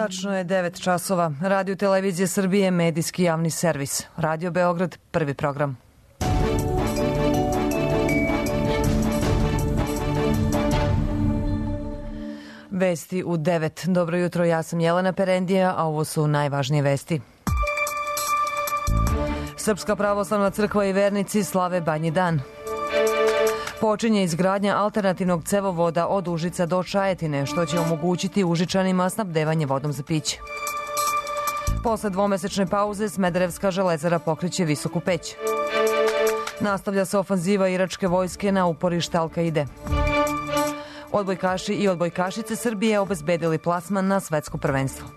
Tačno je 9 časova. Radio Televizije Srbije, medijski javni servis. Radio Beograd, prvi program. Vesti u 9. Dobro jutro, ja sam Jelena Perendija, a ovo su najvažnije vesti. Srpska pravoslavna crkva i vernici slave Badnji dan. Počinje izgradnja alternativnog cevovoda od Užica do Čajetine, što će omogućiti Užičanima snabdevanje vodom za piće. Posle dvomesečne pauze Smederevska železara pokreće Visoku peć. Nastavlja se ofanziva iračke vojske na uporište Al-Kaide. Odbojkaši i odbojkašice Srbije obezbedili plasman na svetsko prvenstvo.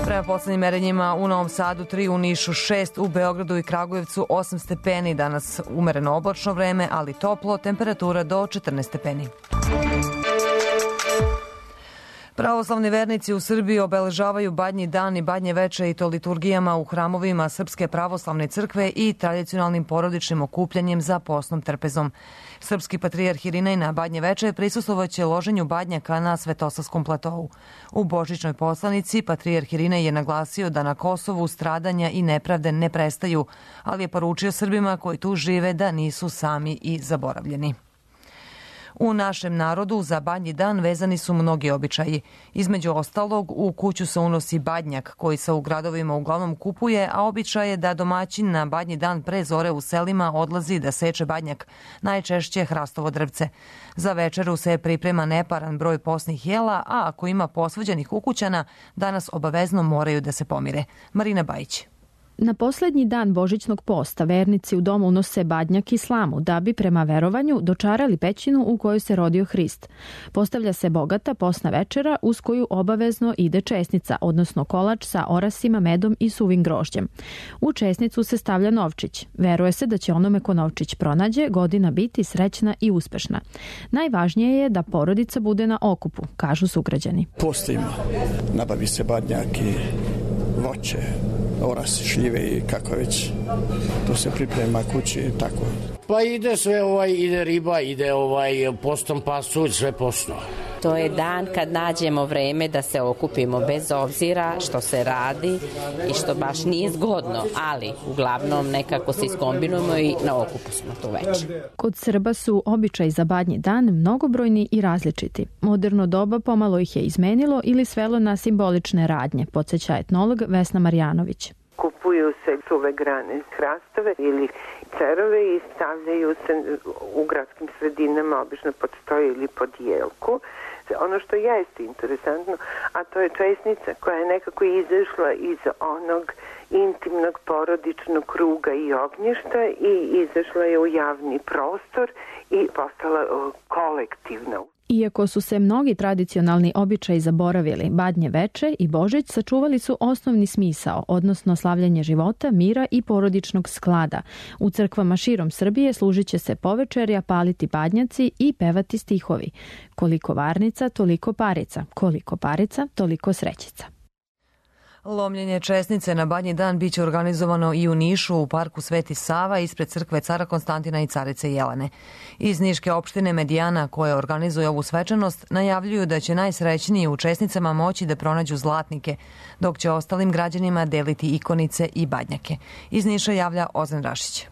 Prema poslednjim merenjima u Novom Sadu 3, u Nišu 6, u Beogradu i Kragujevcu 8 stepeni. Danas umereno oblačno vreme, ali toplo, temperatura do 14 stepeni. Pravoslavni vernici u Srbiji obeležavaju Badnji dan i Badnje veče i to liturgijama u hramovima Srpske pravoslavne crkve i tradicionalnim porodičnim okupljanjem za posnom trpezom. Srpski patrijarh Irinej na Badnje veče prisustvovaće loženju badnjaka na Svetosavskom platovu. U božićnoj poslanici patrijarh Irinej je naglasio da na Kosovu stradanja i nepravde ne prestaju, ali je poručio Srbima koji tu žive da nisu sami i zaboravljeni. U našem narodu za Badnji dan vezani su mnogi običaji. Između ostalog, u kuću se unosi badnjak koji se u gradovima uglavnom kupuje, a običaj je da domaćin na Badnji dan pre zore u selima odlazi da seče badnjak, najčešće hrastovo drvce. Za večeru se priprema neparan broj posnih jela, a ako ima posvađanih ukućana, danas obavezno moraju da se pomire. Marina Bajić. Na poslednji dan božićnog posta vernici u domu unose badnjak i slamu da bi prema verovanju dočarali pećinu u kojoj se rodio Hrist. Postavlja se bogata posna večera uz koju obavezno ide česnica, odnosno kolač sa orasima, medom i suvim grožđem. U česnicu se stavlja novčić. Veruje se da će onome ko novčić pronađe godina biti srećna i uspešna. Najvažnije je da porodica bude na okupu, kažu sugrađani. Post ima, nabavi se badnjak i voće, orasi, šljive i kako već. To se priprema kući i tako. Pa ide sve, ide riba, ide postom pasulj, sve posno. To je dan kad nađemo vreme da se okupimo bez obzira što se radi i što baš nije zgodno, ali uglavnom nekako se iskombinujemo i na okupu smo tu večer. Kod Srba su običaji za Badnji dan mnogobrojni i različiti. Moderno doba pomalo ih je izmenilo ili svelo na simbolične radnje, podsjeća etnolog Vesna Marjanović. Kupuju se suve grane hrastove ili cerove i stavljaju se u gradskim sredinama, obično pod stoj ili pod jelku. Ono što jeste interesantno, a to je česnica koja je nekako izašla iz onog intimnog porodičnog kruga i ognjišta i izašla je u javni prostor i postala kolektivna. Iako su se mnogi tradicionalni običaji zaboravili, Badnje veče i Božić sačuvali su osnovni smisao, odnosno slavljanje života, mira i porodičnog sklada. U crkvama širom Srbije služit će se povečerja, paliti badnjaci i pevati stihovi. Koliko varnica, toliko parica. Koliko parica, toliko srećica. Lomljenje česnice na Badnji dan biće organizovano i u Nišu u parku Sveti Sava ispred crkve Cara Konstantina i Carice Jelene. Iz niške opštine Medijana, koje organizuje ovu svečanost, najavljuju da će najsrećniji u česnicama moći da pronađu zlatnike, dok će ostalim građanima deliti ikonice i badnjake. Iz Niša javlja Ozren Rašić.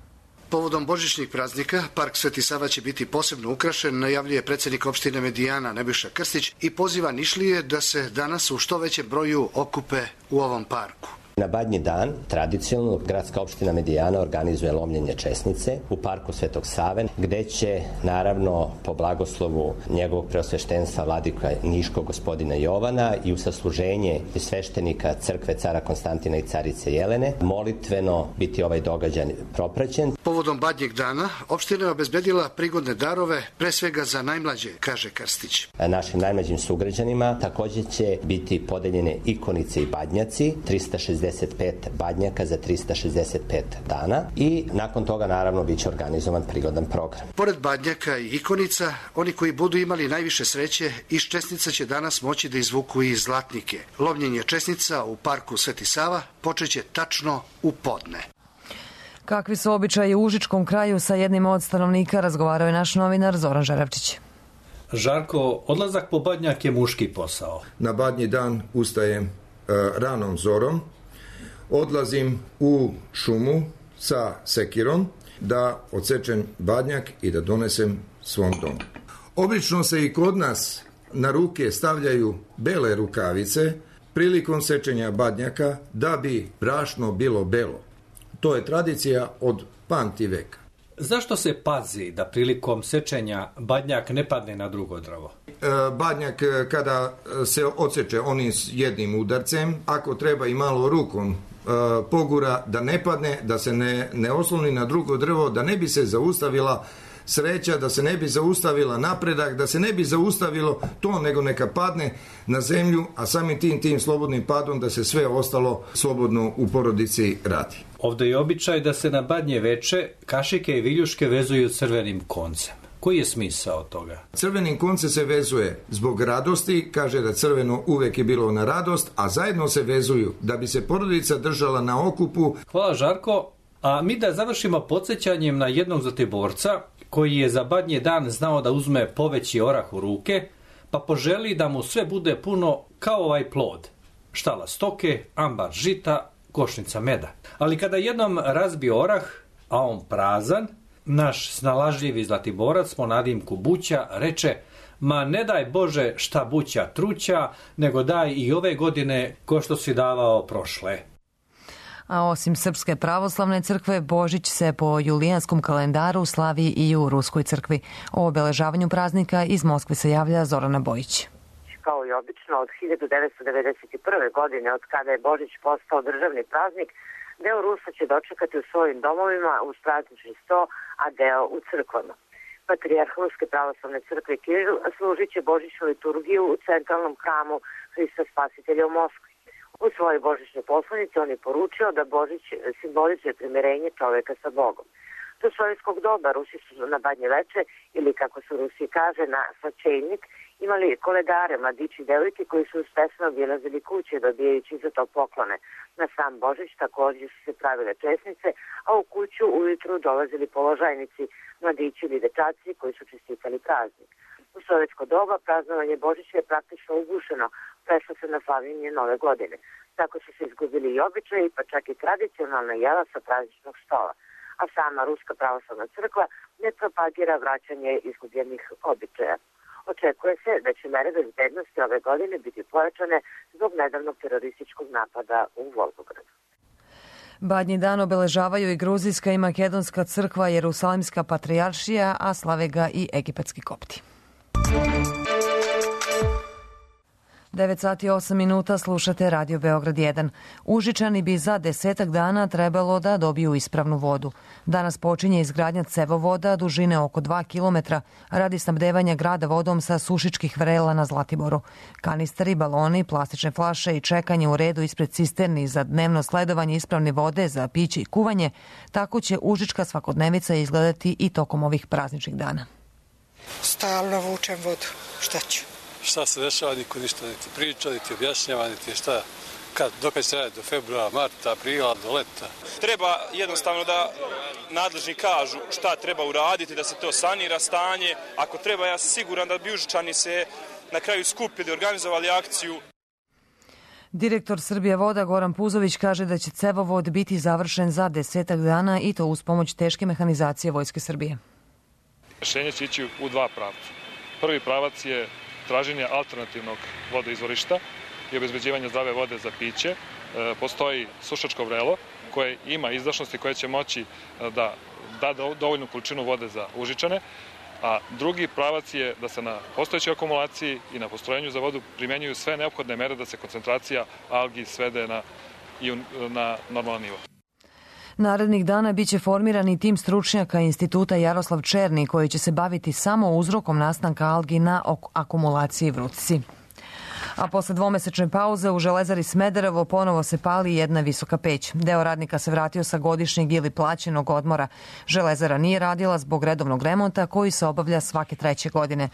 Povodom božićnih praznika, park Sveti Sava će biti posebno ukrašen, najavljuje predsjednik opštine Medijana Nebojša Krstić i poziva Nišlije da se danas u što većem broju okupe u ovom parku. Na Badnji dan, tradicionalno, gradska opština Medijana organizuje lomljenje česnice u parku Svetog Save, gde će, naravno, po blagoslovu njegovog preosveštenstva vladika Niškog gospodina Jovana i u sasluženje sveštenika crkve Cara Konstantina i Carice Jelene, molitveno biti ovaj događaj propraćen. Povodom Badnjeg dana, opština je obezbedila prigodne darove, pre svega za najmlađe, kaže Krstić. Našim najmlađim sugrađanima takođe će biti podeljene ikonice i badnjaci, 365 badnjaka za 365 dana i nakon toga naravno biće organizovan prigodan program. Pored badnjaka i ikonica, oni koji budu imali najviše sreće, iz česnica će danas moći da izvuku i zlatnike. Lomljenje česnica u parku Sveti Sava počeće tačno u podne. Kakvi su običaji u Užičkom kraju, sa jednim od stanovnika razgovarao je naš novinar Zoran Žarevčić. Žarko, odlazak po badnjak je muški posao. Na badnji dan ustajem ranom zorom, odlazim u šumu sa sekirom da odsečem badnjak i da donesem svom domu. Obično se i kod nas na ruke stavljaju bele rukavice prilikom sečenja badnjaka da bi brašno bilo belo. To je tradicija od pamti veka. Zašto se pazi da prilikom sečenja badnjak ne padne na drugo drvo? Badnjak kada se odseče onim jednim udarcem, ako treba i malo rukom pogura da ne padne, da se ne osloni na drugo drvo, da ne bi se zaustavila sreća, da se ne bi zaustavila napredak, da se ne bi zaustavilo to, nego neka padne na zemlju, a samim tim slobodnim padom da se sve ostalo slobodno u porodici radi. Ovdje je običaj da se na badnje veče kašike i viljuške vezuju crvenim koncem. Koji je smisao toga? Crvenim koncem se vezuje zbog radosti, kaže da crveno uvek je bilo na radost, a zajedno se vezuju da bi se porodica držala na okupu. Hvala Žarko, a mi da završimo podsjećanjem na jednog Zlatiborca koji je za badnji dan znao da uzme poveći orah u ruke, pa poželi da mu sve bude puno kao ovaj plod. Štala stoke, ambar žita, košnica meda. Ali kada jednom razbio orah, a on prazan, naš snalažljivi Zlatiborac po nadimku Buća reče: ma ne daj Bože šta Buća truća, nego daj i ove godine ko što si davao prošle. A osim Srpske pravoslavne crkve, Božić se po julijanskom kalendaru slavi i u Ruskoj crkvi. O obeležavanju praznika iz Moskve se javlja Zorana Bojić. Kao i obično, od 1991. godine, od kada je Božić postao državni praznik, deo Rusa će dočekati u svojim domovima uz praznični sto, a deo u crkvama. Patrijarh Ruske pravoslavne crkve Kiril služit će božićnu liturgiju u centralnom hramu Hrista Spasitelja u Moskvi. U svojoj božićnoj poslanici on je poručio da Božić simbolizuje primirenje čoveka sa Bogom. Do sovjetskog doba Rusi su na badnje veče, ili kako se u Rusiji kaže, na svačejnik, imali koledare, mladići i devojke koji su uspešno obilazili kuće dobijajući za to poklone. Na sam Božić također su se pravile česnice, a u kuću ujutru dolazili položajnici, mladići ili dečaci koji su čestitali praznik. U sovjetsko doba praznovanje Božića je praktično ugušeno, prešlo se na slavljenje Nove godine. Tako su se izgubili i običaji, pa čak i tradicionalna jela sa prazničnog stola. A sama Ruska pravoslavna crkva ne propagira vraćanje izgubljenih običaja. Očekuje se da će mere bezbednosti ove godine biti pojačane zbog nedavnog terorističkog napada u Volgogradu. Badnji dan obeležavaju i Gruzijska i Makedonska crkva, Jerusalimska patrijaršija, a slave ga i egipatski kopti. 9 sati 8 minuta, slušate Radio Beograd 1. Užičani bi za 10 dana trebalo da dobiju ispravnu vodu. Danas počinje izgradnja cevovoda dužine oko 2 km radi snabdevanja grada vodom sa sušičkih vrela na Zlatiboru. Kanisteri, baloni, plastične flaše i čekanje u redu ispred cisterni za dnevno sledovanje ispravne vode za piće i kuvanje, tako će užička svakodnevica izgledati i tokom ovih prazničnih dana. Stalno vučem vodu, šta ću? Šta se dešava, niko ništa niti priča, niti objašnjava, niti šta, dokad će trajati, do februara, marta, aprila, do leta. Treba jednostavno da nadležni kažu šta treba uraditi, da se to sanira stanje. Ako treba, ja sam siguran da bi Užičani se na kraju skupili, organizovali akciju. Direktor Srbije voda Goran Puzović kaže da će cevovod biti završen za 10 dana i to uz pomoć teške mehanizacije Vojske Srbije. Rešenje će ići u dva pravca. Prvi pravac je traženje alternativnog vodoizvorišta i obezbeđivanje zdrave vode za piće. Postoji sušačko vrelo koje ima izdašnosti koje će moći da da dovoljnu količinu vode za Užičane, a drugi pravac je da se na postojećoj akumulaciji i na postrojenju za vodu primenjuju sve neophodne mere da se koncentracija algi svede na normalan nivo. Narednih dana biće formirani tim stručnjaka Instituta Jaroslav Černi koji će se baviti samo uzrokom nastanka algi na akumulaciji Vrutci. A posle dvomesečne pauze u Železari Smederevo ponovo se pali jedna visoka peć. Deo radnika se vratio sa godišnjeg ili plaćenog odmora. Železara nije radila zbog redovnog remonta koji se obavlja svake 3. godine.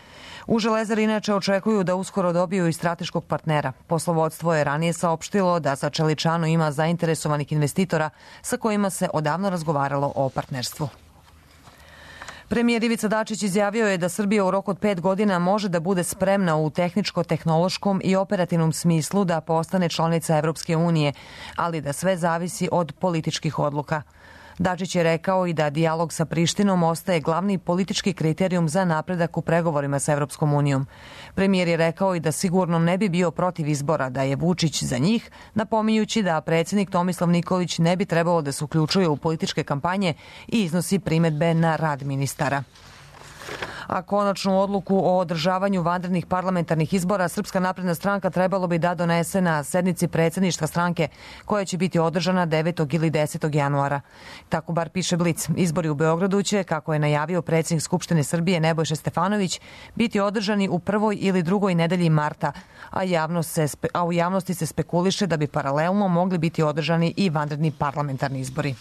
U Železari inače očekuju da uskoro dobiju i strateškog partnera. Poslovodstvo je ranije saopštilo da za Čeličanu ima zainteresovanih investitora sa kojima se odavno razgovaralo o partnerstvu. Premijer Ivica Dačić izjavio je da Srbija u roku od 5 godina može da bude spremna u tehničko-tehnološkom i operativnom smislu da postane članica Evropske unije, ali da sve zavisi od političkih odluka. Dačić je rekao i da dijalog sa Prištinom ostaje glavni politički kriterijum za napredak u pregovorima sa Evropskom unijom. Premijer je rekao i da sigurno ne bi bio protiv izbora da je Vučić za njih, napominjući da predsjednik Tomislav Nikolić ne bi trebalo da se uključuje u političke kampanje i iznosi primedbe na rad ministara. A konačnu odluku o održavanju vanrednih parlamentarnih izbora Srpska napredna stranka trebalo bi da donese na sednici predsjedništva stranke koja će biti održana 9. ili 10. januara. Tako bar piše Blic. Izbori u Beogradu će, kako je najavio predsjednik Skupštine Srbije Nebojša Stefanović, biti održani u prvoj ili drugoj nedelji marta, a u javnosti se spekuliše da bi paralelno mogli biti održani i vanredni parlamentarni izbori.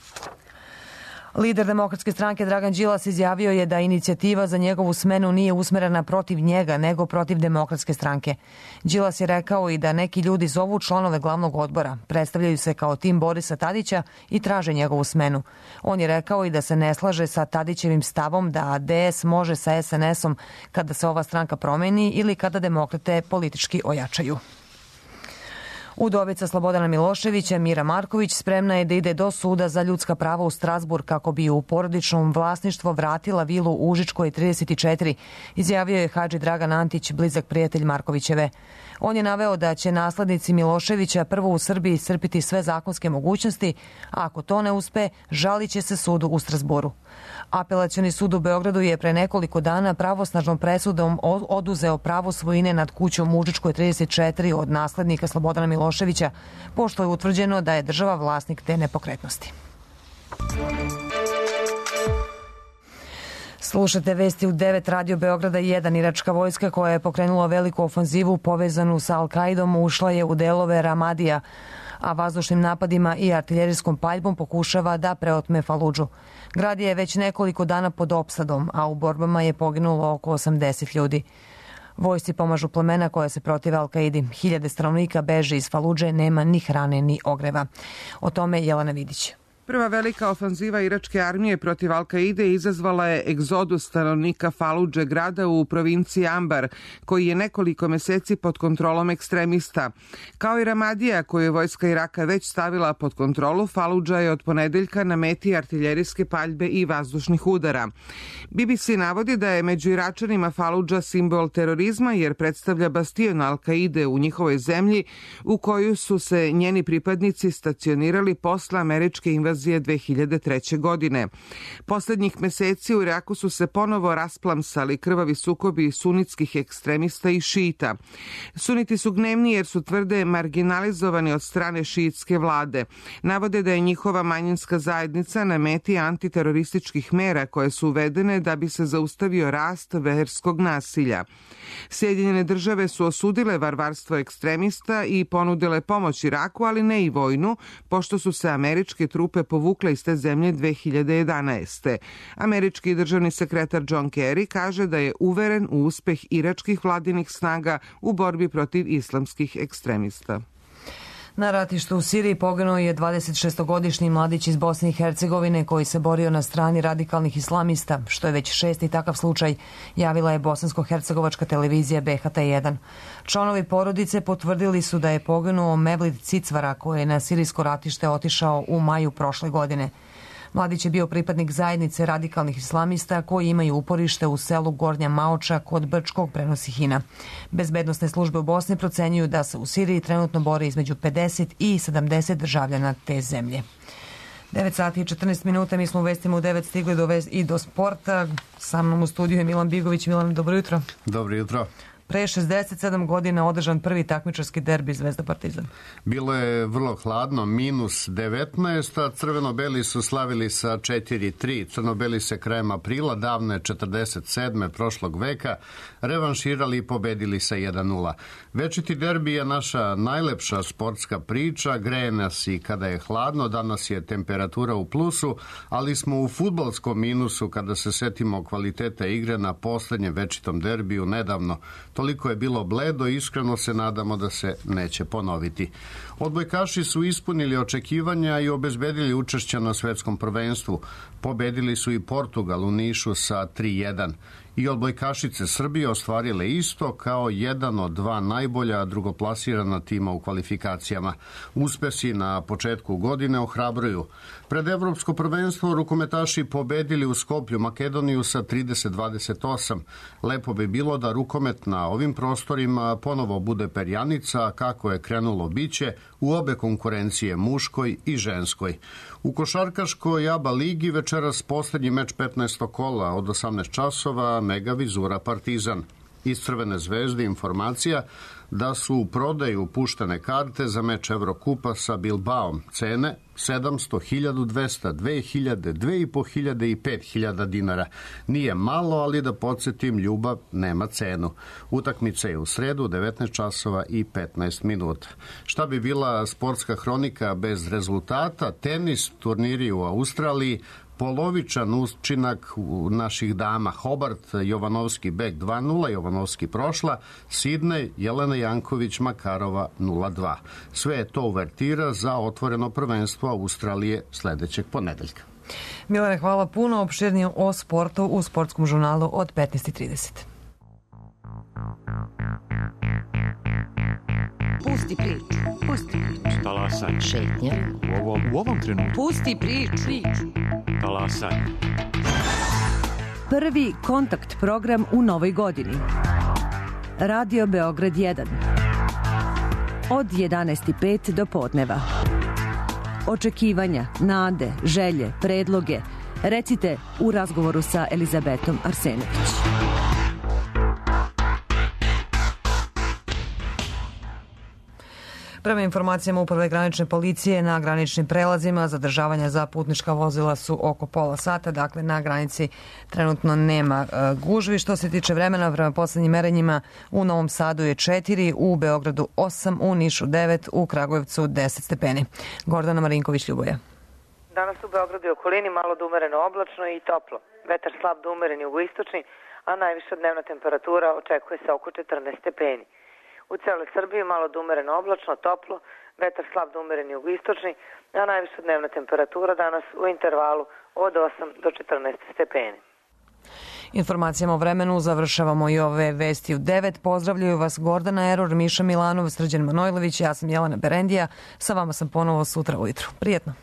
Lider Demokratske stranke Dragan Đilas izjavio je da inicijativa za njegovu smenu nije usmerena protiv njega, nego protiv Demokratske stranke. Đilas je rekao i da neki ljudi zovu članove glavnog odbora, predstavljaju se kao tim Borisa Tadića i traže njegovu smenu. On je rekao i da se ne slaže sa Tadićevim stavom da DS može sa SNS-om kada se ova stranka promeni ili kada demokrate politički ojačaju. Udovica Slobodana Miloševića, Mira Marković, spremna je da ide do suda za ljudska prava u Strazburg kako bi u porodičnom vlasništvo vratila vilu u Užičkoj 34, izjavio je Hadži Dragan Antić, blizak prijatelj Markovićeve. On je naveo da će naslednici Miloševića prvo u Srbiji iscrpiti sve zakonske mogućnosti, a ako to ne uspe, žalit će se sudu u Strazburu. Apelacioni sud u Beogradu je pre nekoliko dana pravosnažnom presudom oduzeo pravo svojine nad kućom u Užičkoj 34 od naslednika Slobodana Miloševića, pošto je utvrđeno da je država vlasnik te nepokretnosti. Slušate vesti u 9 Radio Beograda 1. Iračka vojska koja je pokrenula veliku ofanzivu povezanu sa Al-Kaidom ušla je u delove Ramadija, a vazdušnim napadima i artiljerijskom paljbom pokušava da preotme Faludžu. Grad je već nekoliko dana pod opsadom, a u borbama je poginulo oko 80 ljudi. Vojsci pomažu plemena koja se protive Al-Kaidi. Hiljade stanovnika beže iz Faludže, nema ni hrane ni ogreva. O tome Jelena Vidić. Prva velika ofanziva iračke armije protiv Al-Kaide izazvala je egzodus stanovnika Faludže, grada u provinciji Ambar, koji je nekoliko meseci pod kontrolom ekstremista. Kao i Ramadija, koju je vojska Iraka već stavila pod kontrolu, Faludža je od ponedeljka na meti artiljerijske paljbe i vazdušnih udara. BBC navodi da je među Iračanima Faludža simbol terorizma jer predstavlja bastion Al-Kaide u njihovoj zemlji u koju su se njeni pripadnici stacionirali posle američke invazije 2003. godine. Poslednjih meseci u Iraku su se ponovo rasplamsali krvavi sukobi sunitskih ekstremista i šita. Suniti su gnevni jer su tvrde marginalizovani od strane šiitske vlade. Navode da je njihova manjinska zajednica na meti antiterorističkih mera koje su uvedene da bi se zaustavio rast verskog nasilja. Sjedinjene države su osudile varvarstvo ekstremista i ponudile pomoć Iraku, ali ne i vojnu, pošto su se američke trupe povukle iz te zemlje 2011. Američki državni sekretar John Kerry kaže da je uveren u uspeh iračkih vladinih snaga u borbi protiv islamskih ekstremista. Na ratištu u Siriji poginuo je 26-godišnji mladić iz Bosne i Hercegovine koji se borio na strani radikalnih islamista, što je već 6. takav slučaj, javila je bosansko-hercegovačka televizija BHT1. Članovi porodice potvrdili su da je poginuo Mevlid Cicvara koji je na sirijsko ratište otišao u maju prošle godine. Mladić je bio pripadnik zajednice radikalnih islamista koji imaju uporište u selu Gornja Maoča kod Brčkog, prenosi HINA. Bezbednosne službe u Bosni procenjuju da se u Siriji trenutno bore između 50 i 70 državljana te zemlje. 9 sati i 14 minuta, mi smo u vestima u 9 stigli i do sporta. Sa mnom u studiju je Milan Bigović. Milan, dobro jutro. Dobro jutro. Pre 67 godina održan prvi takmičarski derbi Zvezda Partizan. Bilo je vrlo hladno, -19, a crveno-beli su slavili sa 4-3. Crno-beli se krajem aprila, davne 47. prošlog veka, revanširali i pobedili sa 1-0. Večiti derbi je naša najlepša sportska priča, greje nas i kada je hladno, danas je temperatura u plusu, ali smo u fudbalskom minusu kada se setimo kvaliteta igre na poslednjem večitom derbiju nedavno. Toliko je bilo bledo i iskreno se nadamo da se neće ponoviti. Odbojkaši su ispunili očekivanja i obezbedili učešća na svetskom prvenstvu. Pobedili su i Portugal u Nišu sa 3:1. I odbojkašice Srbije ostvarile isto kao jedan od dva najbolja drugoplasirana tima u kvalifikacijama. Uspesi na početku godine ohrabruju. Pred evropsko prvenstvo rukometaši pobedili u Skoplju Makedoniju sa 30-28. Lepo bi bilo da rukomet na ovim prostorima ponovo bude perjanica, kako je krenulo biće u obe konkurencije, muškoj i ženskoj. U košarkaškoj ABA ligi večeras poslednji meč 15. kola od 18 časova, Mega Vizura Partizan. Iz Crvene zvezde informacija da su u prodaju puštene karte za meč Evrokupa sa Bilbaom. Cene 700, 1200, 2000, 2500 i 5000 dinara. Nije malo, ali da podsjetim, ljubav nema cenu. Utakmica je u sredu 19 časova i 15 minuta. Šta bi bila sportska hronika bez rezultata? Tenis, turniri u Australiji, polovičan učinak naših dama. Hobart, Jovanovski Bek 2-0, Jovanovski prošla, Sidney, Jelena Janković, Makarova 0-2. Sve je to uvertira za otvoreno prvenstvo Australije sledećeg ponedeljka. Milane, hvala puno. Opširnije o sportu u sportskom žurnalu od 15:30. Pusti priču. Pusti priču. Talasaj. Šetnja. U ovom trenutku. Pusti priču. Talasaj. Prvi kontakt program u novoj godini. Radio Beograd 1. Od 11:05 do podneva. Očekivanja, nade, želje, predloge. Recite u razgovoru sa Elizabetom Arsenović. Prema informacijama Uprave granične policije, na graničnim prelazima zadržavanja za putnička vozila su oko pola sata, dakle na granici trenutno nema gužvi. Što se tiče vremena, prema poslednjim merenjima u Novom Sadu je 4, u Beogradu 8, u Nišu 9, u Kragujevcu 10 stepeni. Gordana Marinković-Ljuboja. Danas u Beogradu i okolini malo da umereno oblačno i toplo. Vetar slab da umeren jugoistočni, a najviša dnevna temperatura očekuje se oko 14 stepeni. U celoj Srbiji malo da umereno oblačno, toplo, vetar slab da umeren jugoistočni, a najviša dnevna temperatura danas u intervalu od 8 do 14 stepeni. Informacijama o vremenu završavamo i ove vesti u 9. Pozdravljaju vas Gordana Eror, Miša Milanov, Srđan Manojlović, ja sam Jelena Berendija. Sa vama sam ponovo sutra ujutru. Prijetno.